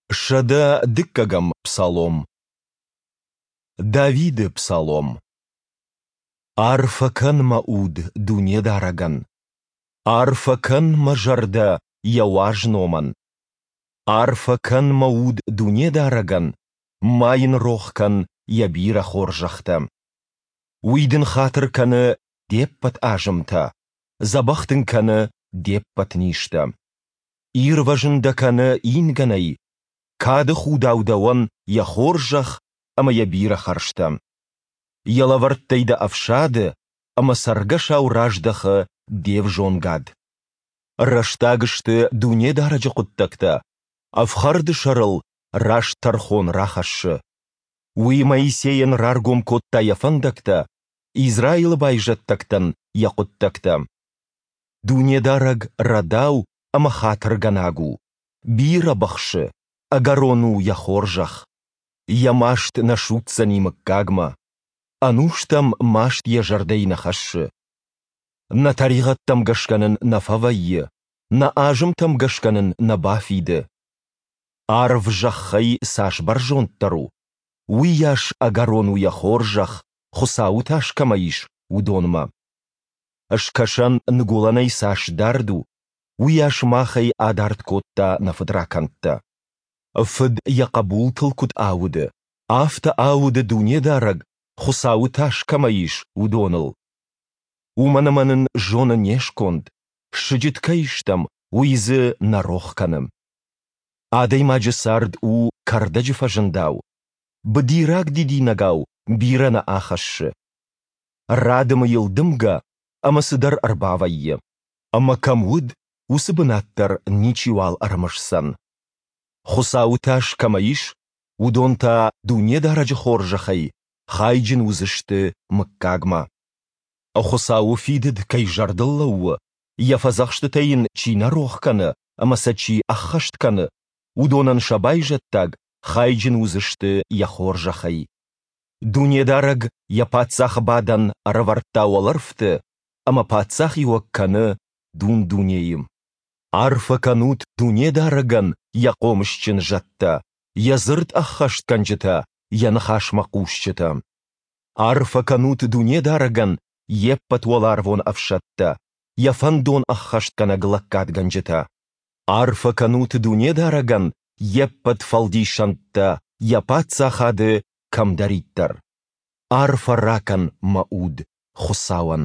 102-ӕм псалом. Давиды псалом. Арфӕ кӕн, мӕ уд, Дунедарӕгӕн! Арфӕ кӕн, мӕ зӕрдӕ, Йӕ уаз номӕн! Арфӕ кӕн, мӕ уд, Дунедарӕгӕн, ма йын рох кӕн Йӕ бирӕ хорзӕхтӕ. Уый дын хатыр кӕны де ппӕт азымтӕ, дзӕбӕх дын кӕны де ппӕт низтӕ. Ирвӕзын дӕ кӕны ингӕнӕй, кады худау дӕуӕн йӕ хорзӕх ӕмӕ йӕ бирӕ хӕрзтӕ. Йӕ лӕвӕрттӕй дӕ ӕфсады ӕмӕ цӕргӕсау раздӕхы де взонгад. Рӕстаг сты Дунедарӕджы хъуыддӕгтӕ, ӕфхӕрды сӕрыл раст тӕрхон рахӕссы. Уый Моисейӕн раргом кодта йӕ фӕндӕгтӕ, Израилы байзӕддӕгтӕн йӕ хъуыддӕгтӕ. Дунедарӕг рӕдау ӕмӕ хатыргӕнаг у, бирӕ быхсы, ӕгӕрон у йӕ хорзӕх. Йӕ маст нӕ судздзӕни мыггагмӕ, ӕнустӕм маст йӕ зӕрдӕйы нӕ хӕссы. Нӕ тӕригъӕдтӕм гӕсгӕ нын нӕ фӕвӕййы, нӕ азымтӕм гӕсгӕ нын нӕ бафиды. Арв зӕххӕй цас бӕрзонддӕр у, уыйас ӕгӕрон у йӕ хорзӕх, Хуыцауы тас кӕмӕ ис, уыдонмӕ. Скӕсӕн ныгуылӕнӕй цас дард у, уыйас махӕй адард кодта нӕ фыдракӕндтӕ. Фыд йӕ хъӕбултыл куыд ауды, афтӕ ауды Дунедарӕг, Хуыцауы тас кӕмӕ ис, уыдоныл. Уымӕн ӕмӕ нын зоны не сконд, сыджыт кӕй стӕм, уый дзы нӕ рох кӕны. Адӕймаджы цард у кӕрдӕджы фӕзындау, быдираг дидинӕгау бирӕ нӕ ахӕссы. Радымы йыл дымгӕ ӕмӕ цыдӕр ӕрбавӕййы. Ӕмӕ кӕм уыд, уыцы бынат дӕр ничиуал ӕрымысдзӕн. Хуыцауы тас кӕмӕ ис, уыдон та Дунедарӕджы хорзӕхӕй хайджын уыдзысты мыггагмӕ. Хуыцауы фидыд кӕй зӕрдыл лӕууы, йӕ фӕдзӕхстытӕ йын чи нӕ рох кӕны ӕмӕ сӕ чи ӕххӕст кӕны, уыдонӕн сӕ байзӕддаг хайджын уыдзысты йӕ хорзӕхӕй. Дунедарӕг йӕ паддзахы бадӕн ӕрӕвӕрдта уӕлӕрвты ӕмӕ паддзахиуӕг кӕны дун-дунейы. Арфӕ кӕнут Дунедарӕгӕн йӕ хъомысджын зӕдтӕ, йӕ дзырд ӕххӕстгӕнджытӕ, йӕ ныхасмӕ хъусджытӕ. Арфӕ кӕнут Дунедарӕгӕн йе ппӕт уӕларвон ӕфсӕдтӕ, йӕ фӕндон ӕххӕстгӕнӕг лӕггадгӕнджытӕ. Арфӕ кӕнут Дунедарӕгӕн йе ппӕт фӕлдисӕндтӕ, йӕ паддзахады кӕмдӕриддӕр. Арфӕ ракӕн, мӕ уд, Хуыцауӕн.